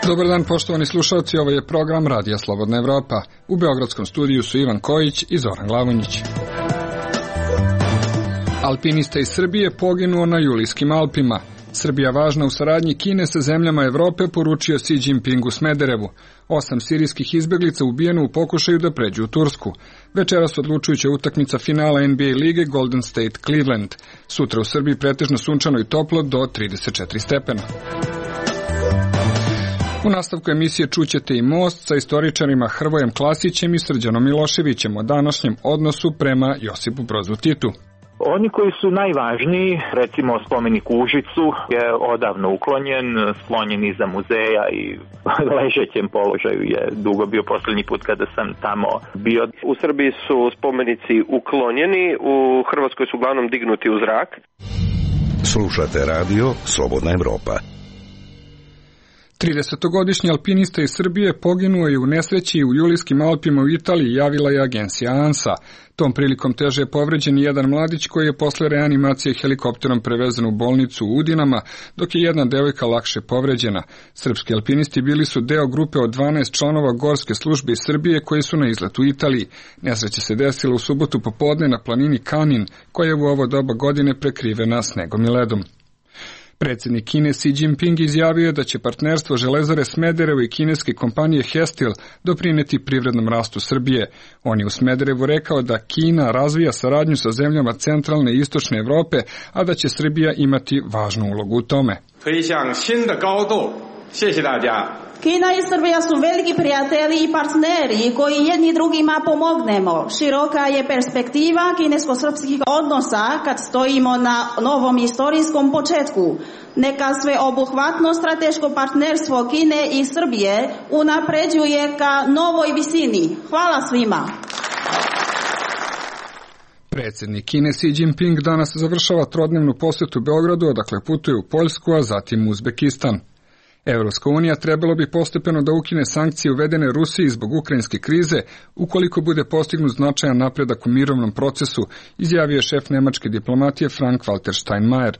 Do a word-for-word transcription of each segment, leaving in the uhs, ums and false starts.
Dobar dan, poštovani slušalci, ovo je program Radija Slobodna Evropa. U beogradskom studiju su Ivan Kojić i Zoran Glavonjić. Alpinista iz Srbije poginuo na Julijskim Alpima. Srbija važna u saradnji Kine sa zemljama Evrope, poručio Xi Jinping u Smederevu. Osam sirijskih izbeglica ubijeno u pokušaju da pređu u Tursku. Večeras odlučujuća utakmica finala N B A lige Golden State Cleveland. Sutra u Srbiji pretežno sunčano i toplo do trideset četiri stepena. U nastavku emisije čućete i Most sa istoričarima Hrvojem Klasićem i Srđanom Miloševićem o današnjem odnosu prema Josipu Brozu Titu. Oni koji su najvažniji, recimo spomenik u Užicu, je odavno uklonjen, sklonjen iza muzeja i ležećem položaju je dugo bio posljednji put kada sam tamo bio. U Srbiji su spomenici uklonjeni, u Hrvatskoj su uglavnom dignuti u zrak. Slušate radio Slobodna Evropa. tridesetogodišnji alpinista iz Srbije poginuo je u nesreći u Julijskim Alpima u Italiji, javila je agencija ANSA. Tom prilikom teže je povređen jedan mladić koji je posle reanimacije helikopterom prevezen u bolnicu u Udinama, dok je jedna devojka lakše povređena. Srpski alpinisti bili su deo grupe od dvanaest članova Gorske službe iz Srbije koji su na izletu u Italiji. Nesreća se desila u subotu popodne na planini Kanin, koja je u ovo doba godine prekrivena snegom i ledom. Predsjednik Kine Xi Jinping izjavio je da će partnerstvo Železare Smederevo i kineske kompanije Hestil doprineti privrednom rastu Srbije. On je u Smederevu rekao da Kina razvija saradnju sa zemljama centralne i istočne Evrope, a da će Srbija imati važnu ulogu u tome. Kina i Srbija su veliki prijatelji i partneri koji jedni drugima pomognemo. Široka je perspektiva kinesko-srpskih odnosa kad stojimo na novom istorijskom početku. Neka sveobuhvatno strateško partnerstvo Kine i Srbije unapređuje ka novoj visini. Hvala svima. Predsjednik Kine Xi Jinping danas završava trodnevnu posjetu Beogradu, odakle putuje u Poljsku, a zatim u Uzbekistan. Evropska unija trebalo bi postepeno da ukine sankcije uvedene Rusiji zbog ukrajinske krize, ukoliko bude postignut značajan napredak u mirovnom procesu, izjavio je šef nemačke diplomatije Frank-Walter Steinmeier.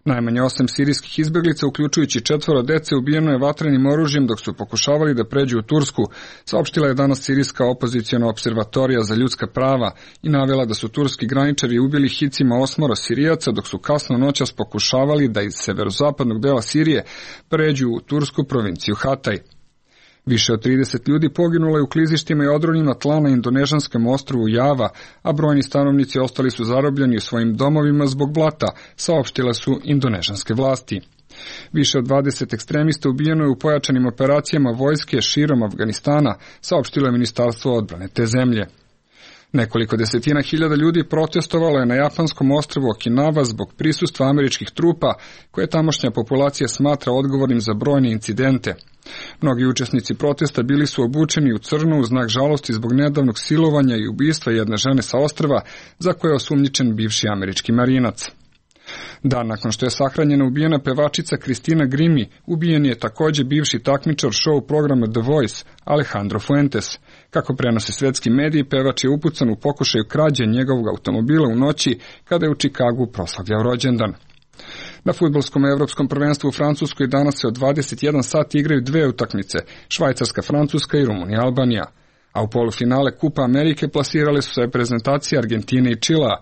Najmanje osam sirijskih izbeglica, uključujući četvoro dece, ubijeno je vatrenim oružjem dok su pokušavali da pređu u Tursku, saopštila je danas sirijska opoziciona observatorija za ljudska prava i navela da su turski graničari ubili hicima osmoro Sirijaca dok su kasno noćas pokušavali da iz severozapadnog dela Sirije pređu u tursku provinciju Hataj. Više od trideset ljudi poginulo je u klizištima i odronima tla na indonežanskom ostrvu Java, a brojni stanovnici ostali su zarobljeni u svojim domovima zbog blata, saopštile su indonežanske vlasti. Više od dvadeset ekstremista ubijeno je u pojačanim operacijama vojske širom Afganistana, saopštilo je Ministarstvo odbrane te zemlje. Nekoliko desetina hiljada ljudi protestovalo je na japanskom ostrvu Okinawa zbog prisustva američkih trupa, koje tamošnja populacija smatra odgovornim za brojne incidente. Mnogi učesnici protesta bili su obučeni u crno u znak žalosti zbog nedavnog silovanja i ubistva jedne žene sa ostrva, za koje je osumnjičen bivši američki marinac. Dan nakon što je sahranjena ubijena pevačica Kristina Grimi, ubijen je također bivši takmičar show programa The Voice, Alejandro Fuentes. Kako prenose svetski mediji, pevač je upucan u pokušaju krađe njegovog automobila u noći kada je u Čikagu proslavljao rođendan. Na fudbalskom evropskom prvenstvu u Francuskoj danas se od dvadeset jedan sat igraju dve utakmice, Švajcarska, Francuska i Rumunija, Albanija. A u polufinale Kupa Amerike plasirale su se reprezentacije Argentine i Čilea.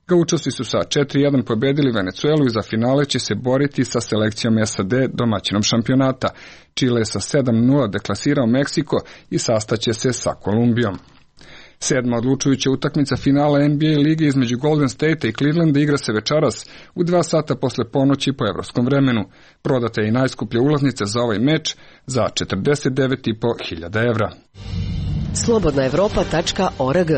Gaučosi su sa četiri jedan pobedili Venecuelu i za finale će se boriti sa selekcijom S A D, domaćinom šampionata. Čile je sa sedam nula deklasirao Meksiko i sastaće se sa Kolumbijom. Sedma odlučujuća utakmica finala N B A lige između Golden State i Clevelanda igra se večeras u dva sata posle ponoći po evropskom vremenu. Prodata je i najskuplja ulaznica za ovaj meč za četrdeset devet i po hiljada evra. slobodna evropa tačka org.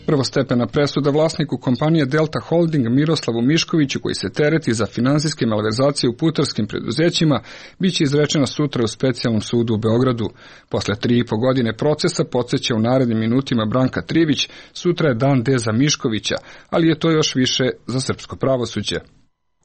Prvostepena presuda vlasniku kompanije Delta Holding Miroslavu Miškoviću, koji se tereti za finansijske malverzacije u putarskim preduzećima, bit će izrečena sutra u specijalnom sudu u Beogradu. Posle tri i po godine procesa, podsjeća u narednim minutima Branka Trivić, sutra je dan D za Miškovića, ali je to još više za srpsko pravosuđe.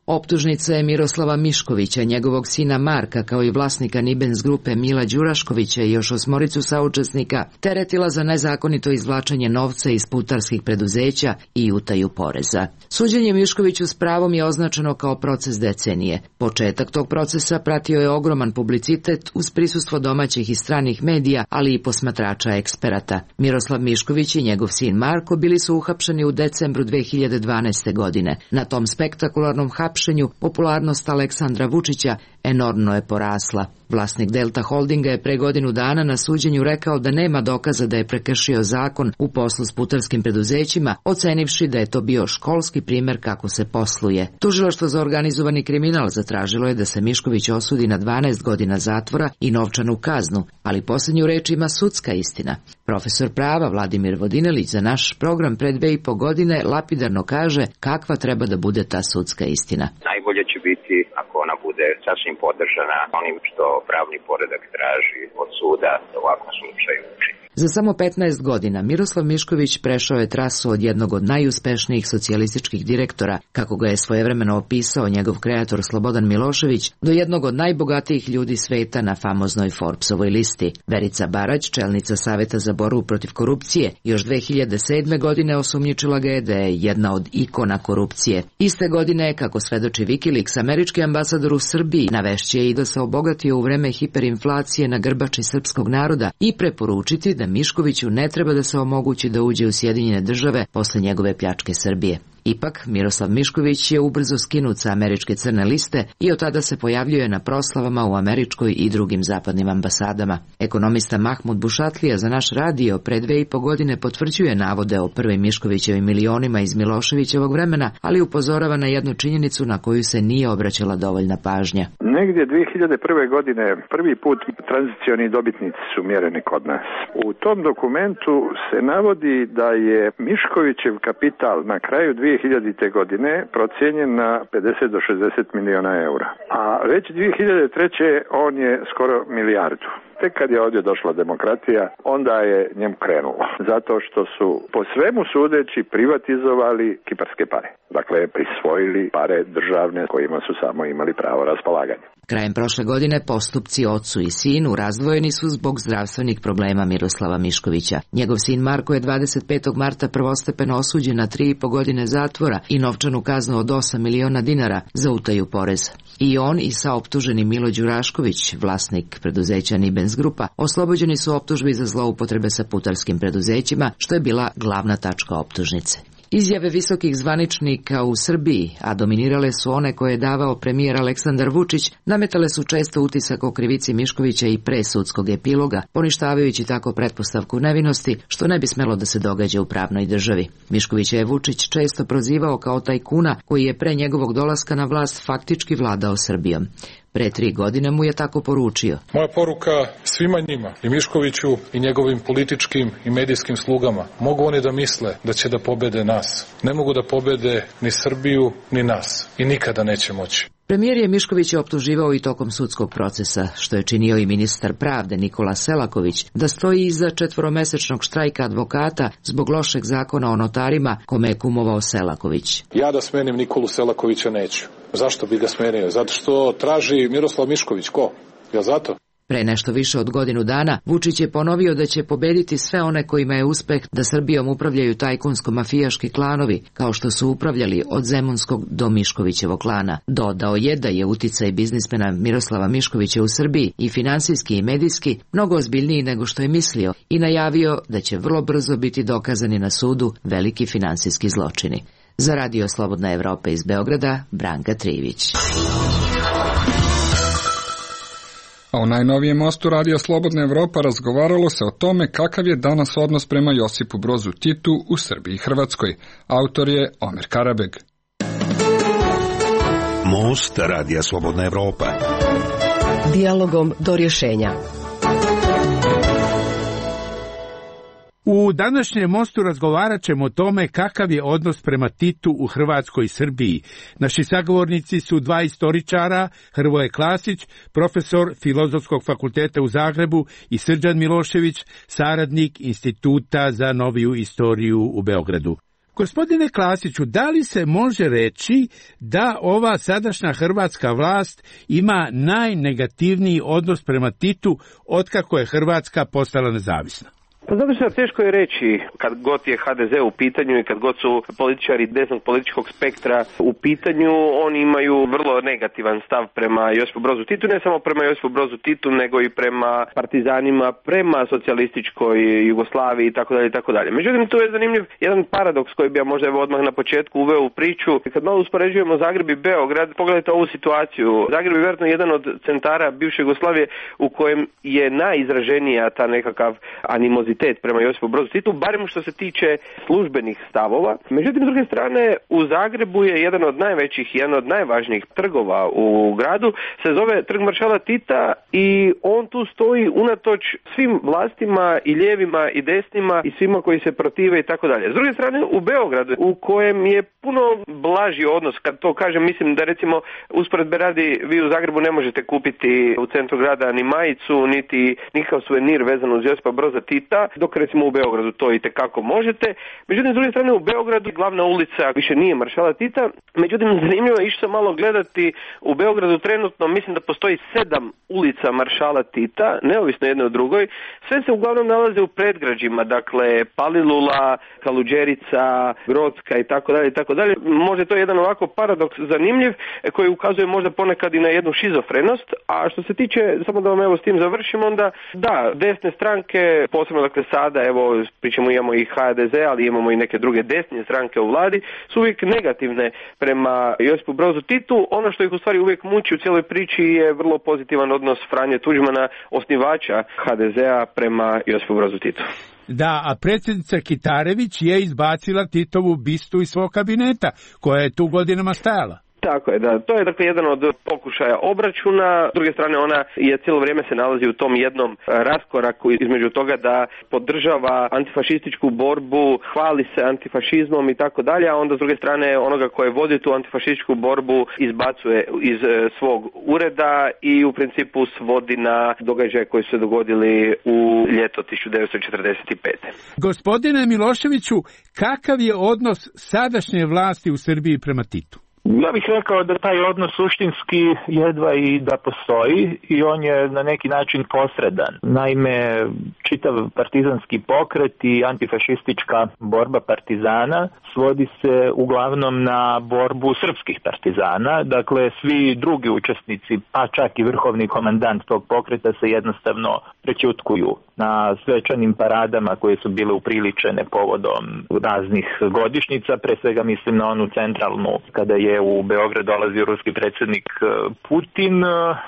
Optužnica je Miroslava Miškovića, njegovog sina Marka, kao i vlasnika Nibens grupe Mila Đuraškovića i još osmoricu saučesnika, teretila za nezakonito izvlačenje novca iz putarskih preduzeća i utaju poreza. Suđenje Miškoviću s pravom je označeno kao proces decenije. Početak tog procesa pratio je ogroman publicitet uz prisustvo domaćih i stranih medija, ali i posmatrača eksperata. Miroslav Mišković i njegov sin Marko bili su uhapšeni u decembru dve hiljade dvanaeste. godine. Na tom spektakularnom hapšenju popularnost Aleksandra Vučića enormno je porasla. Vlasnik Delta Holdinga je pre godinu dana na suđenju rekao da nema dokaza da je prekršio zakon u poslu s putarskim preduzećima, ocenivši da je to bio školski primer kako se posluje. Tužilaštvo za organizovani kriminal zatražilo je da se Mišković osudi na dvanaest godina zatvora i novčanu kaznu, ali posljednju reč ima sudska istina. Profesor prava Vladimir Vodinelić za naš program pre dve i po godine lapidarno kaže kakva treba da bude ta sudska istina. Najbolje će biti ako ona bude sasvim podržana onim što pravni poredak traži od suda da u ovakvom slučaju učini. Za samo petnaest godina Miroslav Mišković prešao je trasu od jednog od najuspešnijih socijalističkih direktora, kako ga je svojevremeno opisao njegov kreator Slobodan Milošević, do jednog od najbogatijih ljudi sveta na famoznoj Forbesovoj listi. Verica Barać, čelnica Saveta za borbu protiv korupcije, još dve hiljade sedme. godine osumnjičila ga je da je jedna od ikona korupcije. Iste godine, kako svedoči Wikileaks, američki ambasador u Srbiji navešće i da se obogatio u vreme hiperinflacije na grbači srpskog naroda i preporučiti da Miškoviću ne treba da se omogući da uđe u Sjedinjene države posle njegove pljačke Srbije. Ipak, Miroslav Mišković je ubrzo skinut sa američke crne liste i od tada se pojavljuje na proslavama u američkoj i drugim zapadnim ambasadama. Ekonomista Mahmud Bušatlija za naš radio pre dve i po godine potvrđuje navode o prvim Miškovićevim milionima iz Miloševićevog vremena, ali upozorava na jednu činjenicu na koju se nije obraćala dovoljna pažnja. Negdje dve hiljade prve. godine prvi put tranzicioni dobitnici su mjereni kod nas. U tom dokumentu se navodi da je Miškovićev kapital na kraju dve hiljadite. godine procijenjen na pedeset do šezdeset miliona eura. A već dve hiljade treće. on je skoro milijardu. Tek kad je ovdje došla demokratija, onda je njemu krenulo. Zato što su po svemu sudeći privatizovali kiparske pare. Dakle, prisvojili pare državne kojima su samo imali pravo raspolaganja. Krajem prošle godine postupci ocu i sinu razdvojeni su zbog zdravstvenih problema Miroslava Miškovića. Njegov sin Marko je dvadeset petog marta prvostepeno osuđen na tri i po godine zatvora i novčanu kaznu od osam miliona dinara za utaju poreza. I on i saoptuženi Milo Đurašković, vlasnik preduzeća Nibens grupa, oslobođeni su optužbi za zloupotrebe sa putarskim preduzećima, što je bila glavna tačka optužnice. Izjave visokih zvaničnika u Srbiji, a dominirale su one koje je davao premijer Aleksandar Vučić, nametale su često utisak o krivici Miškovića i pre sudskog epiloga, poništavajući tako pretpostavku nevinosti, što ne bi smelo da se događa u pravnoj državi. Miškovića je Vučić često prozivao kao tajkuna koji je pre njegovog dolaska na vlast faktički vladao Srbijom. Pre tri godine mu je tako poručio. Moja poruka svima njima, i Miškoviću i njegovim političkim i medijskim slugama, mogu oni da misle da će da pobede nas. Ne mogu da pobede ni Srbiju, ni nas. I nikada neće moći. Premijer je Miškovića optuživao i tokom sudskog procesa, što je činio i ministar pravde Nikola Selaković, da stoji iza četvoromesečnog štrajka advokata zbog lošeg zakona o notarima kome je kumovao Selaković. Ja da smenim Nikolu Selakovića neću. Zašto bi ga smenio? Zato što traži Miroslav Mišković. Ko? Ja zato? Pre nešto više od godinu dana Vučić je ponovio da će pobediti sve one kojima je uspeh da Srbijom upravljaju tajkunsko-mafijaški klanovi, kao što su upravljali od Zemunskog do Miškovićevog klana. Dodao je da je uticaj biznismena Miroslava Miškovića u Srbiji i finansijski i medijski mnogo ozbiljniji nego što je mislio i najavio da će vrlo brzo biti dokazani na sudu veliki finansijski zločini. Za Radio Slobodna Evropa iz Beograda, Branka Trivić. A u najnovijem mostu Radio Slobodna Evropa razgovaralo se o tome kakav je danas odnos prema Josipu Brozu Titu u Srbiji i Hrvatskoj. Autor je Omer Karabeg. Most Radija Slobodna Evropa. Dijalogom do rješenja. U današnjem mostu razgovarat ćemo o tome kakav je odnos prema Titu u Hrvatskoj i Srbiji. Naši sagovornici su dva istoričara, Hrvoje Klasić, profesor Filozofskog fakulteta u Zagrebu, i Srđan Milošević, saradnik Instituta za noviju istoriju u Beogradu. Gospodine Klasiću, da li se može reći da ova sadašnja hrvatska vlast ima najnegativniji odnos prema Titu otkako je Hrvatska postala nezavisna? Pa zato što teško je reći kad god je ha de ze u pitanju i kad god su političari desnog političkog spektra u pitanju, oni imaju vrlo negativan stav prema Josipu Brozu Titu, ne samo prema Josipu Brozu Titu, nego i prema partizanima, prema socijalističkoj Jugoslaviji i tako dalje i tako dalje. Međutim, tu je zanimljiv jedan paradoks koji bi ja možda evo odmah na početku uveo u priču. Kad malo uspoređujemo Zagreb i Beograd, pogledajte ovu situaciju. Zagreb je vjerojatno jedan od centara bivše Jugoslavije u kojem je najizraženija ta nekakav animozitet prema Josipu Brozu Titu, barem što se tiče službenih stavova. Međutim, s druge strane, u Zagrebu je jedan od najvećih i jedan od najvažnijih trgova u gradu, se zove Trg maršala Tita i on tu stoji unatoč svim vlastima i lijevima i desnima i svima koji se protive i tako dalje. S druge strane, u Beogradu, u kojem je puno blaži odnos, kad to kažem, mislim da recimo usporedbe radi, vi u Zagrebu ne možete kupiti u centru grada ni majicu, niti nikakav suvenir vezan uz Josipa Broza Tita, dok recimo u Beogradu to i tekako možete. Međutim, s druge strane, u Beogradu glavna ulica više nije maršala Tita. Međutim, zanimljivo je išao sam malo gledati, u Beogradu trenutno mislim da postoji sedam ulica maršala Tita, neovisno jedne od drugoj. Sve se uglavnom nalaze u predgrađima, dakle Palilula, Kaluđerica, Grodska i tako dalje i tako dalje. Možda je to jedan ovako paradoks zanimljiv koji ukazuje možda ponekad i na jednu šizofrenost, a što se tiče, samo da vam evo s tim završim, onda da, desne stranke, posebno dakle sada, evo pričamo imamo i ha de ze, ali imamo i neke druge desne stranke u vladi, su uvijek negativne prema Josipu Brozu Titu. Ono što ih u stvari uvijek muči u cijeloj priči je vrlo pozitivan odnos Franje Tuđmana, osnivača ha de zea, prema Josipu Brozu Titu. Da, a predsjednica Kitarević je izbacila Titovu bistu iz svog kabineta, koja je tu godinama stajala. Tako je, da. To je dakle jedan od pokušaja obračuna. S druge strane, ona je cijelo vrijeme se nalazi u tom jednom raskoraku između toga da podržava antifašističku borbu, hvali se antifašizmom i tako dalje, a onda s druge strane onoga koje vodi tu antifašističku borbu izbacuje iz svog ureda i u principu svodi na događaje koji su se dogodili u ljeto tisuću devetsto četrdeset pete. Gospodine Miloševiću, kakav je odnos sadašnje vlasti u Srbiji prema Titu? Ja bih rekao da taj odnos suštinski jedva i da postoji i on je na neki način posredan. Naime, čitav partizanski pokret i antifašistička borba partizana svodi se uglavnom na borbu srpskih partizana. Dakle, svi drugi učesnici, pa čak i vrhovni komandant tog pokreta se jednostavno prećutkuju na svečanim paradama koje su bile upriličene povodom raznih godišnjica, pre svega mislim na onu centralnu kada je u Beograd dolazio ruski predsjednik Putin.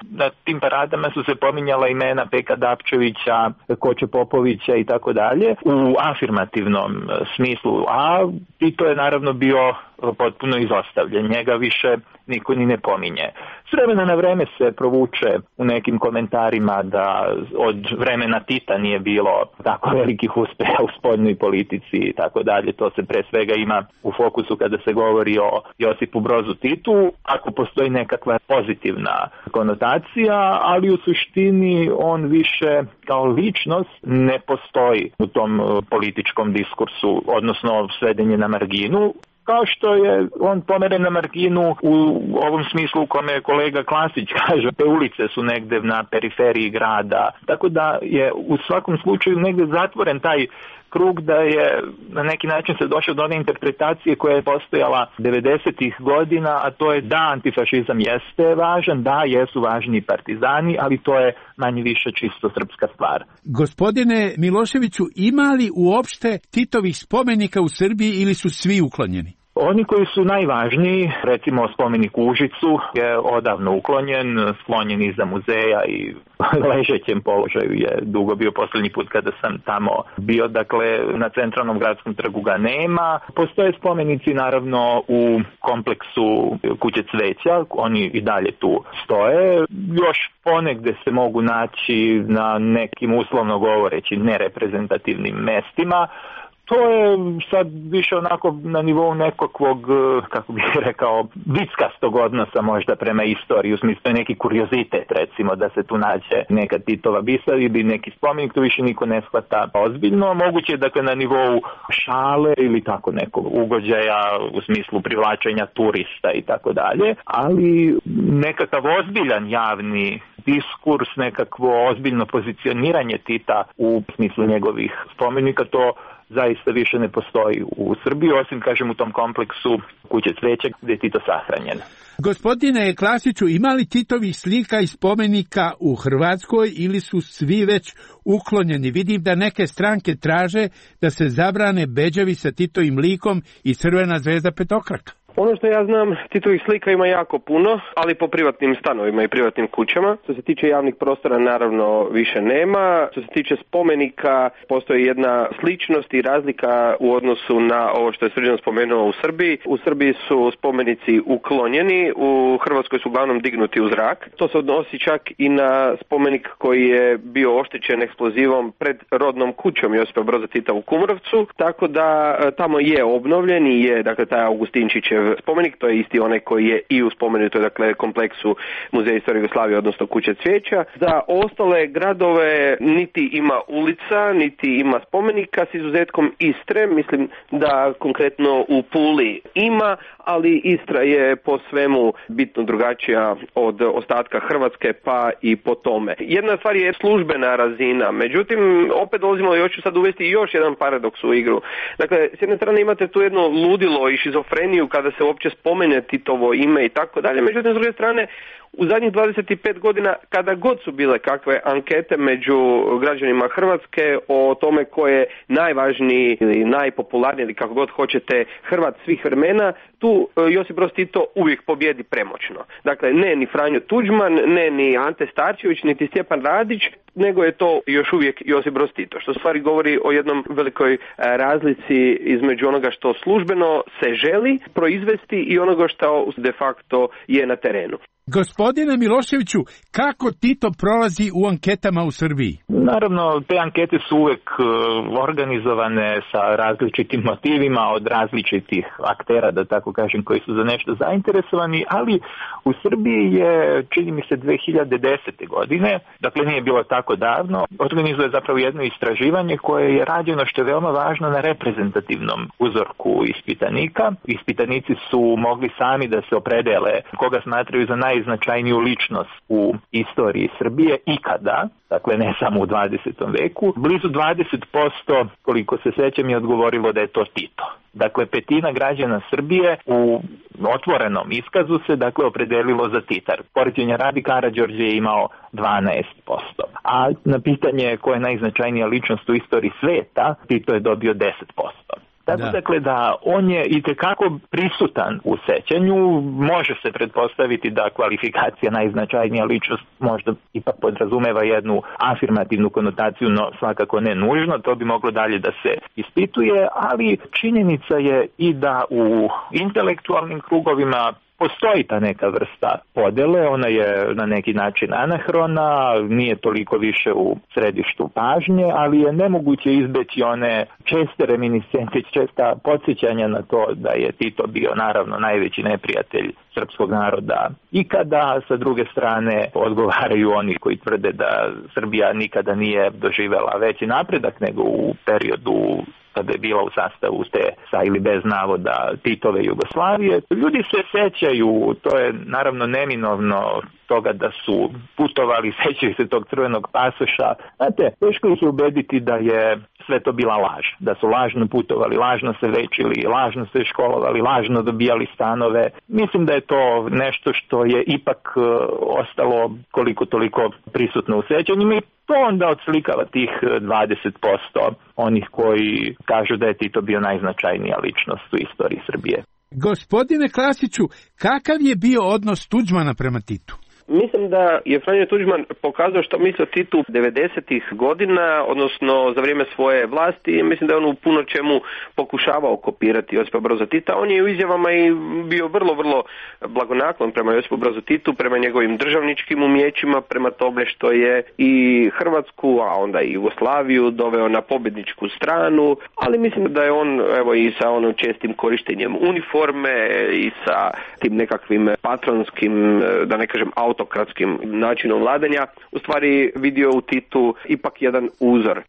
Na tim paradama su se pominjala imena Peka Dapčevića, Koče Popovića i tako dalje u afirmativnom smislu, a Tito je naravno bio potpuno izostavljen, njega više niko ni ne pominje. S vremena na vreme se provuče u nekim komentarima da od vremena Tita nije bilo tako velikih uspeha u spoljnoj politici i tako dalje. To se pre svega ima u fokusu kada se govori o Josipu Brozu Titu, ako postoji nekakva pozitivna konotacija, ali u suštini on više kao ličnost ne postoji u tom političkom diskursu, odnosno svedenje na marginu, kao što je on pomeren na marginu u ovom smislu u kome kolega Klasić kaže, te ulice su negde na periferiji grada, tako da je u svakom slučaju negde zatvoren taj krug da je na neki način se došao do one interpretacije koja je postojala devedesetih godina, a to je da antifašizam jeste važan, da jesu važni partizani, ali to je manje više čisto srpska stvar. Gospodine Miloševiću, ima li uopšte Titovih spomenika u Srbiji ili su svi uklonjeni? Oni koji su najvažniji, recimo spomenik u Užicu je odavno uklonjen, sklonjen iza muzeja i ležećem položaju je dugo bio posljednji put kada sam tamo bio, dakle na centralnom gradskom trgu ga nema. Postoje spomenici naravno u kompleksu Kuće cveća, oni i dalje tu stoje, još ponegde se mogu naći na nekim uslovno govoreći nereprezentativnim mestima. To je sad više onako na nivou nekakvog, kako bih rekao, vickastog odnosa možda prema istoriji, u smislu neki kuriozitet, recimo, da se tu nađe neka Titova bisa ili neki spomenik, to više niko ne shvata ozbiljno. Moguće je, dakle, na nivou šale ili tako nekog ugođaja u smislu privlačenja turista i tako dalje, ali nekakav ozbiljan javni diskurs, nekakvo ozbiljno pozicioniranje Tita u smislu njegovih spomenika, to zaista više ne postoji u Srbiji, osim, kažem, u tom kompleksu Kuće cveća gdje je Tito sahranjen. Gospodine Klasiću, ima li Titovih slika i spomenika u Hrvatskoj ili su svi već uklonjeni? Vidim da neke stranke traže da se zabrane bedževi sa Titovim likom i crvena zvezda petokraka. Ono što ja znam, Titovih slika ima jako puno, ali po privatnim stanovima i privatnim kućama. Što se tiče javnih prostora, naravno više nema. Što se tiče spomenika, postoji jedna sličnost i razlika u odnosu na ovo što je Srđan spomenuo u Srbiji. U Srbiji su spomenici uklonjeni, u Hrvatskoj su uglavnom dignuti u zrak. To se odnosi čak i na spomenik koji je bio oštećen eksplozivom pred rodnom kućom Josipa Broza Tita u Kumrovcu, tako da tamo je obnovljen i je, dakle, taj Augustinčićev spomenik, to je isti onaj koji je i u spomenutoj, dakle, kompleksu Muzeja istorije Jugoslavije, odnosno Kuće cvijeća. Za ostale gradove niti ima ulica, niti ima spomenika, s izuzetkom Istre. Mislim da konkretno u Puli ima, ali Istra je po svemu bitno drugačija od ostatka Hrvatske, pa i po tome. Jedna stvar je službena razina, međutim, opet dolazimo, još ću sad uvesti još jedan paradoks u igru. Dakle, s jedne strane imate tu jedno ludilo i šizofreniju kada se uopće spomene Titovo ime i tako dalje, međutim, s druge strane, u zadnjih dvadeset pet godina, kada god su bile kakve ankete među građanima Hrvatske o tome ko je najvažniji ili najpopularniji ili kako god hoćete Hrvat svih vremena, tu Josip Broz Tito uvijek pobjedi premoćno. Dakle, ne ni Franjo Tuđman, ne ni Ante Starčević, niti Stjepan Radić, nego je to još uvijek Josip Broz Tito, što stvari govori o jednom velikoj razlici između onoga što službeno se želi proizvesti i onoga što de facto je na terenu. Gospodine Miloševiću, kako Tito prolazi u anketama u Srbiji? Naravno, te ankete su uvek organizovane sa različitim motivima od različitih aktera, da tako kažem, koji su za nešto zainteresovani, ali u Srbiji je, čini mi se, dve hiljade desete. godine, dakle nije bilo tako davno, organizuje zapravo jedno istraživanje koje je rađeno, što je veoma važno, na reprezentativnom uzorku ispitanika. Ispitanici su mogli sami da se opredele koga smatraju za najznačajniju ličnost u istoriji Srbije ikada, dakle ne samo u dvadesetom veku. Blizu dvadeset posto, koliko se sećam, je odgovorilo da je to Tito. Dakle, petina građana Srbije u otvorenom iskazu se, dakle, opredelilo za Tita. Poređenja radi, Karađorđe je imao dvanaest posto. A na pitanje ko je najznačajnija ličnost u istoriji sveta, Tito je dobio deset posto. Tako da. Dakle da on je itekako prisutan u sećanju, može se pretpostaviti da kvalifikacija najznačajnija ličnost možda ipak podrazumeva jednu afirmativnu konotaciju, no svakako ne nužno, to bi moglo dalje da se ispituje, ali činjenica je i da u intelektualnim krugovima postoji ta neka vrsta podele, ona je na neki način anahrona, nije toliko više u središtu pažnje, ali je nemoguće izbeći one česte reminiscencije, česta podsjećanja na to da je Tito bio naravno najveći neprijatelj srpskog naroda ikada. Sa druge strane odgovaraju oni koji tvrde da Srbija nikada nije doživela veći napredak nego u periodu kada je bila u sastavu te sa ili bez navoda Titove Jugoslavije. Ljudi se sećaju, to je naravno neminovno, toga da su putovali, sećaju se tog crvenog pasoša. Znate, teško ih je ubediti da je sve to bila laž, da su lažno putovali, lažno se večili, lažno se školovali, lažno dobijali stanove. Mislim da je to nešto što je ipak uh, ostalo koliko toliko prisutno u sećanjima i to onda odslikava tih dvadeset posto onih koji kažu da je Tito bio najznačajnija ličnost u istoriji Srbije. Gospodine Klasiću, kakav je bio odnos Tuđmana prema Titu? Mislim da je Franjo Tuđman pokazao što misli o Titu devedesetih godina, odnosno za vrijeme svoje vlasti. Mislim da je on u puno čemu pokušavao kopirati Josipa Broza Tita. On je u izjavama i bio vrlo, vrlo blagonaklon prema Josipu Brozu Titu, prema njegovim državničkim umjećima, prema tome što je i Hrvatsku, a onda i Jugoslaviju doveo na pobjedničku stranu, ali mislim da je on, evo, i sa onom čestim korištenjem uniforme i sa tim nekakvim patronskim, da ne kažem autokratskim načinom vladanja, u stvari vidio u Titu ipak jedan uzor.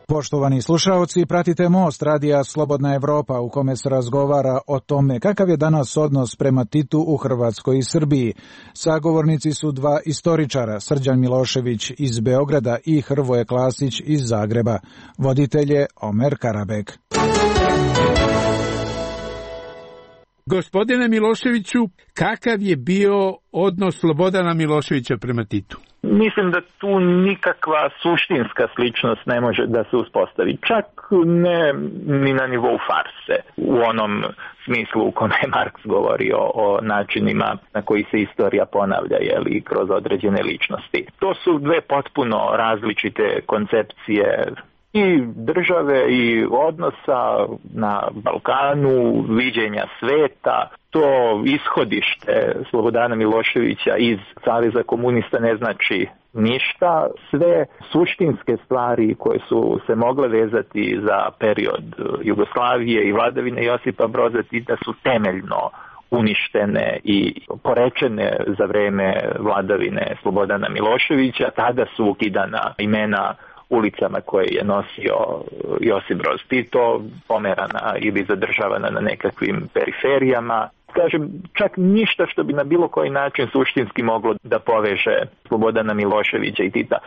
Poštovani slušaoci, pratite Most radija Slobodna Evropa u kome se razgovara o tome kakav je danas odnos prema Titu u Hrvatskoj i Srbiji. Sagovornici su dva istoričara, Srđan Milošević iz Beograda i Hrvoje Klasić iz Zagreba. Voditelj je Omer Karabek. Gospodine Miloševiću, kakav je bio odnos Slobodana Miloševića prema Titu? Mislim da tu nikakva suštinska sličnost ne može da se uspostavi. Čak ne ni na nivou farse, u onom smislu u kome je Marks govorio o načinima na koji se istorija ponavlja, jeli, kroz određene ličnosti. To su dve potpuno različite koncepcije i države i odnosa na Balkanu, viđenja sveta. To ishodište Slobodana Miloševića iz Saveza komunista ne znači ništa. Sve suštinske stvari koje su se mogle vezati za period Jugoslavije i vladavine Josipa Broza Tita su temeljno uništene i porečene za vreme vladavine Slobodana Miloševića. Tada su ukidana imena ulicama koje je nosio Josip Broz Tito, pomerana ili zadržavana na nekakvim periferijama. Kažem, čak ništa što bi na bilo koji način suštinski moglo da poveže Slobodana Miloševića i Tita.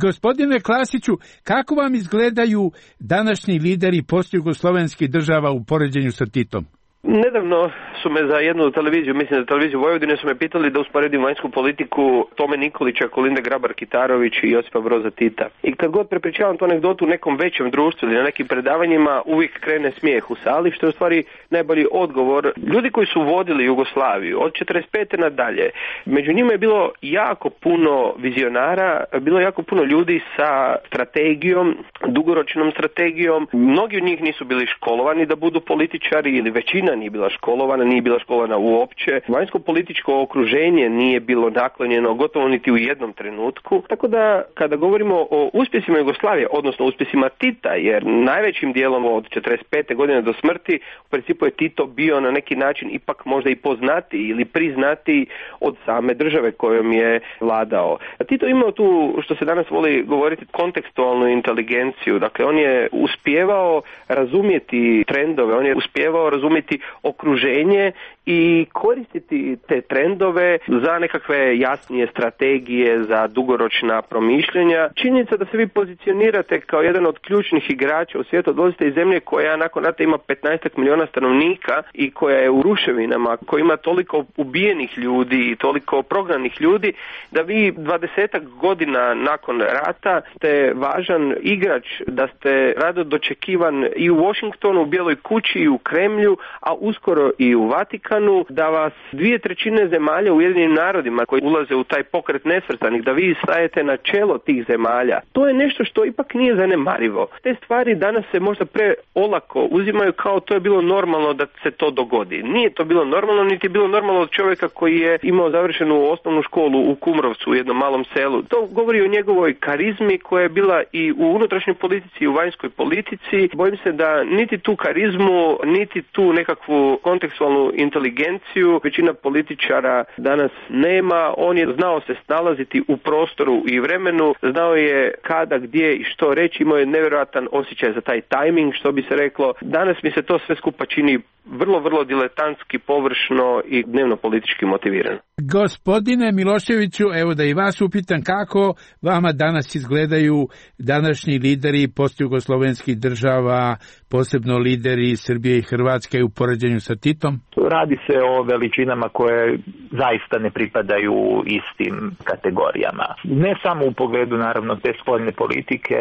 Gospodine Klasiću, kako vam izgledaju današnji lideri postjugoslovenskih država u poređenju sa Titom? Nedavno su me za jednu televiziju, mislim da televiziju Vojvodine, su me pitali da usporedim vanjsku politiku Tome Nikolića, Kolinde Grabar-Kitarović i Josipa Broza Tita. I kad god prepričavam tu anegdotu u nekom većem društvu ili na nekim predavanjima, uvijek krene smijeh u sali, što je u stvari najbolji odgovor. Ljudi koji su vodili Jugoslaviju od četrdeset pete nadalje, među njima je bilo jako puno vizionara, bilo je jako puno ljudi sa strategijom, dugoročnom strategijom. Mnogi od njih nisu bili školovani da budu političari ili većina nije bila školovana, nije bila školovana uopće. Vanjsko političko okruženje nije bilo naklonjeno gotovo niti u jednom trenutku. Tako da kada govorimo o uspjesima Jugoslavije, odnosno uspjesima Tita, jer najvećim dijelom od četrdeset pete godine do smrti u principu je Tito bio na neki način ipak možda i poznati ili priznati od same države kojom je vladao. A Tito imao tu, što se danas voli govoriti, kontekstualnu inteligenciju. Dakle, on je uspijevao razumjeti trendove, on je uspijevao razumjeti okruženje i koristiti te trendove za nekakve jasnije strategije, za dugoročna promišljanja. Činjenica da se vi pozicionirate kao jedan od ključnih igrača u svijetu, dolazite iz zemlje koja nakon rata ima petnaest milijuna stanovnika i koja je u ruševinama, koja ima toliko ubijenih ljudi i toliko prognanih ljudi, da vi dvadesetak godina nakon rata ste važan igrač, da ste rado dočekivan i u Washingtonu, u Bijeloj kući i u Kremlju, a uskoro i u Vatikanu, da vas dvije trećine zemalja u Ujedinjenim narodima koji ulaze u taj pokret nesvrstanih, da vi stajete na čelo tih zemalja. To je nešto što ipak nije zanemarivo. Te stvari danas se možda preolako uzimaju kao to je bilo normalno da se to dogodi. Nije to bilo normalno, niti je bilo normalno od čovjeka koji je imao završenu osnovnu školu u Kumrovcu, u jednom malom selu. To govori o njegovoj karizmi koja je bila i u unutrašnjoj politici i u vanjskoj politici. Bojim se da niti tu karizmu, niti tu nekakvu kontekstualnu inteligenciju većina političara danas nema. On je znao se snalaziti u prostoru i vremenu, znao je kada, gdje i što reći, imao je nevjerojatan osjećaj za taj tajming, što bi se reklo. Danas mi se to sve skupa čini vrlo, vrlo diletantski, površno i dnevno politički motivirano. Gospodine Miloševiću, evo da i vas upitam kako vama danas izgledaju današnji lideri postjugoslovenskih država, posebno lideri Srbije i Hrvatske u poređenju sa Titom? Radi radi se o veličinama koje zaista ne pripadaju istim kategorijama. Ne samo u pogledu naravno te spoljne politike,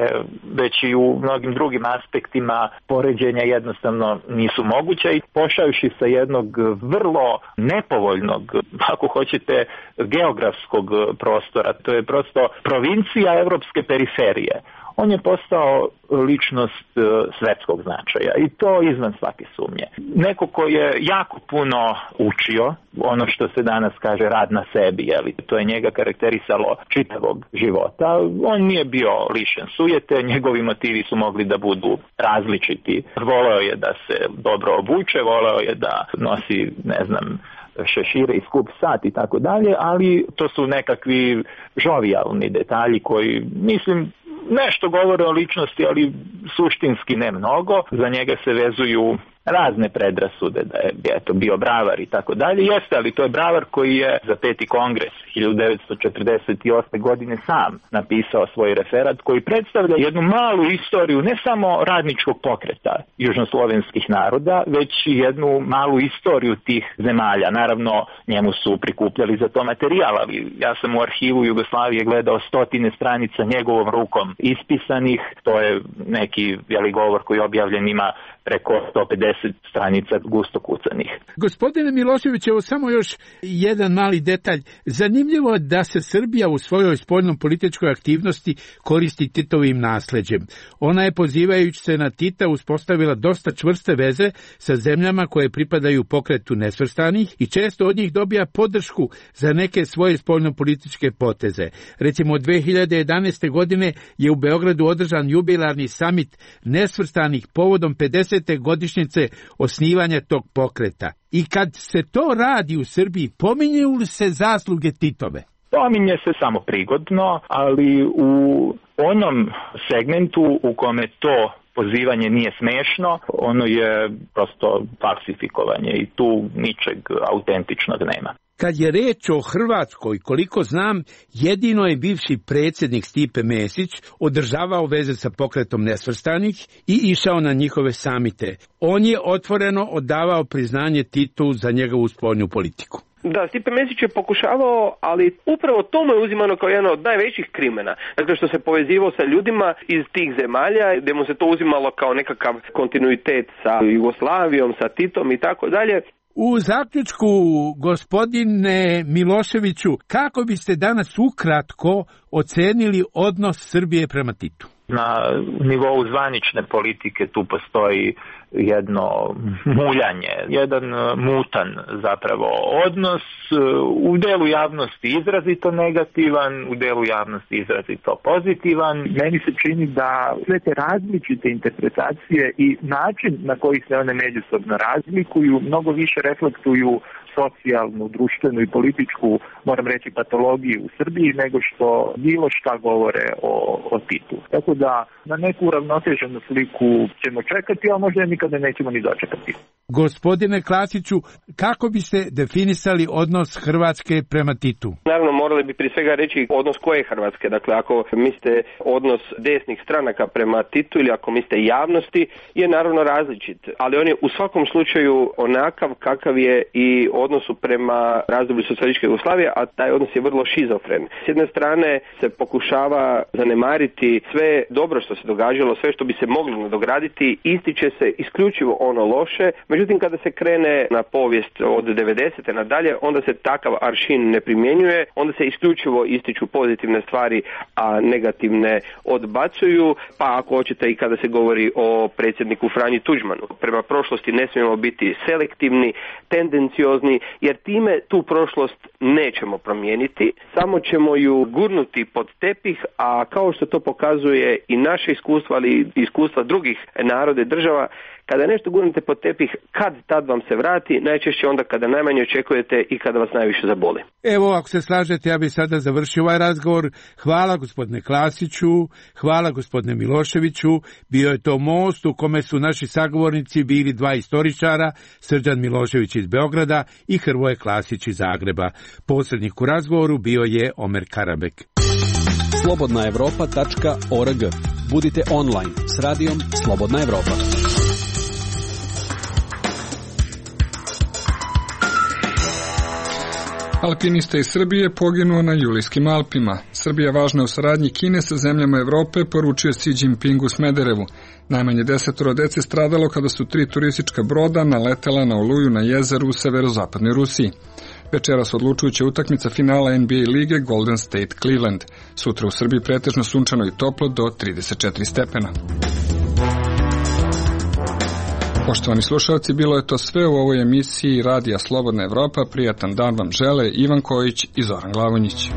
već i u mnogim drugim aspektima poređenja jednostavno nisu moguće i pošavši sa jednog vrlo nepovoljnog, ako hoćete, geografskog prostora, to je prosto provincija evropske periferije. On je postao ličnost svetskog značaja i to izvan svake sumnje. Neko ko je jako puno učio, ono što se danas kaže rad na sebi, jeli, to je njega karakterisalo čitavog života. On nije bio lišen sujete, njegovi motivi su mogli da budu različiti. Voleo je da se dobro obuče, voleo je da nosi, ne znam, šešire i skup sat i tako dalje, ali to su nekakvi žovijalni detalji koji, mislim, nešto govore o ličnosti, ali suštinski ne mnogo. Za njega se vezuju razne predrasude da je eto, bio bravar i tako dalje. Jeste, ali to je bravar koji je za peti kongres hiljadu devetsto četrdeset osme. godine sam napisao svoj referat koji predstavlja jednu malu istoriju ne samo radničkog pokreta južnoslovenskih naroda, već i jednu malu istoriju tih zemalja. Naravno, njemu su prikupljali za to materijal, ali ja sam u arhivu Jugoslavije gledao stotine stranica njegovom rukom ispisanih. To je neki veli govor koji objavljen ima preko sto pedeset stranica gusto kucanih. Gospodine Milošević, evo samo još jedan mali detalj. Zanimljivo je da se Srbija u svojoj spoljnom političkoj aktivnosti koristi Titovim nasleđem. Ona je, pozivajući se na Tita, uspostavila dosta čvrste veze sa zemljama koje pripadaju pokretu nesvrstanih i često od njih dobija podršku za neke svoje spoljnopolitičke poteze. Recimo, dve hiljade jedanaeste. godine je u Beogradu održan jubilarni samit nesvrstanih povodom pedesete godišnjice osnivanja tog pokreta. I kad se to radi u Srbiji, pominju li se zasluge Titove? Pominje se samo prigodno, ali u onom segmentu u kome to pozivanje nije smešno, ono je prosto falsifikovanje i tu ničeg autentičnog nema. Kad je reč o Hrvatskoj, koliko znam, jedino je bivši predsjednik Stipe Mesić održavao veze sa pokretom nesvrstanih i išao na njihove samite. On je otvoreno odavao priznanje Titu za njegovu spoljnu politiku. Da, Stipe Mesić je pokušavao, ali upravo to mu je uzimano kao jedan od najvećih krimena. Dakle, što se povezivao sa ljudima iz tih zemalja, gdje mu se to uzimalo kao nekakav kontinuitet sa Jugoslavijom, sa Titom i tako dalje. U zaključku, gospodine Miloševiću, kako biste danas ukratko ocenili odnos Srbije prema Titu? Na nivou zvanične politike tu postoji jedno muljanje, jedan mutan zapravo odnos, u delu javnosti izrazito negativan, u delu javnosti izrazito pozitivan. Meni se čini da sve te različite interpretacije i način na koji se one međusobno razlikuju mnogo više reflektuju socijalnu, društvenu i političku, moram reći, patologiju u Srbiji nego što bilo šta govore o, o Titu. Tako da na neku uravnoteženu sliku ćemo čekati, a možda nikada nećemo ni dočekati. Gospodine Klasiću, kako biste definisali odnos Hrvatske prema Titu? Naravno, morali bi prije svega reći odnos koje Hrvatske. Dakle, ako mislite odnos desnih stranaka prema Titu ili ako mislite javnosti, je naravno različit. Ali on je u svakom slučaju onakav kakav je i odnosu prema razdoblju socijalističke Jugoslavije, a taj odnos je vrlo šizofren. S jedne strane se pokušava zanemariti sve dobro što se događalo, sve što bi se moglo nadograditi, ističe se isključivo ono loše. Međutim, kada se krene na povijest od devedesete nadalje, onda se takav aršin ne primjenjuje, onda se isključivo ističu pozitivne stvari, a negativne odbacuju, pa ako hoćete i kada se govori o predsjedniku Franji Tuđmanu. Prema prošlosti ne smijemo biti selektivni, tendenciozni, jer time tu prošlost nećemo promijeniti, samo ćemo ju gurnuti pod tepih, a kao što to pokazuje i naše iskustvo, ali i iskustva drugih naroda i država, kada nešto gurnete pod tepih, kad tad vam se vrati, najčešće onda kada najmanje očekujete i kada vas najviše zaboli. Evo, ako se slažete, ja bih sada završio ovaj razgovor. Hvala gospodine Klasiću, hvala gospodine Miloševiću. Bio je to most u kome su naši sagovornici bili dva istoričara, Srđan Milošević iz Beograda i Hrvoje Klasić iz Zagreba. Posrednik u razgovoru bio je Omer Karabek. slobodna evropa tačka org. Budite online s radijom Slobodna Evropa. Alpinista iz Srbije poginuo na Julijskim Alpima. Srbija važna u saradnji Kine sa zemljama Evrope, poručio Xi Jinping u Smederevu. Najmanje desetoro dece stradalo kada su tri turistička broda naletela na oluju na jezeru u severozapadnoj Rusiji. Večeras odlučujuća utakmica finala N B A lige Golden State Cleveland. Sutra u Srbiji pretežno sunčano i toplo do trideset četiri stepena. Poštovani slušalci, bilo je to sve u ovoj emisiji Radija Slobodna Evropa. Prijatan dan vam žele Ivan Kojić i Zoran Glavonjić.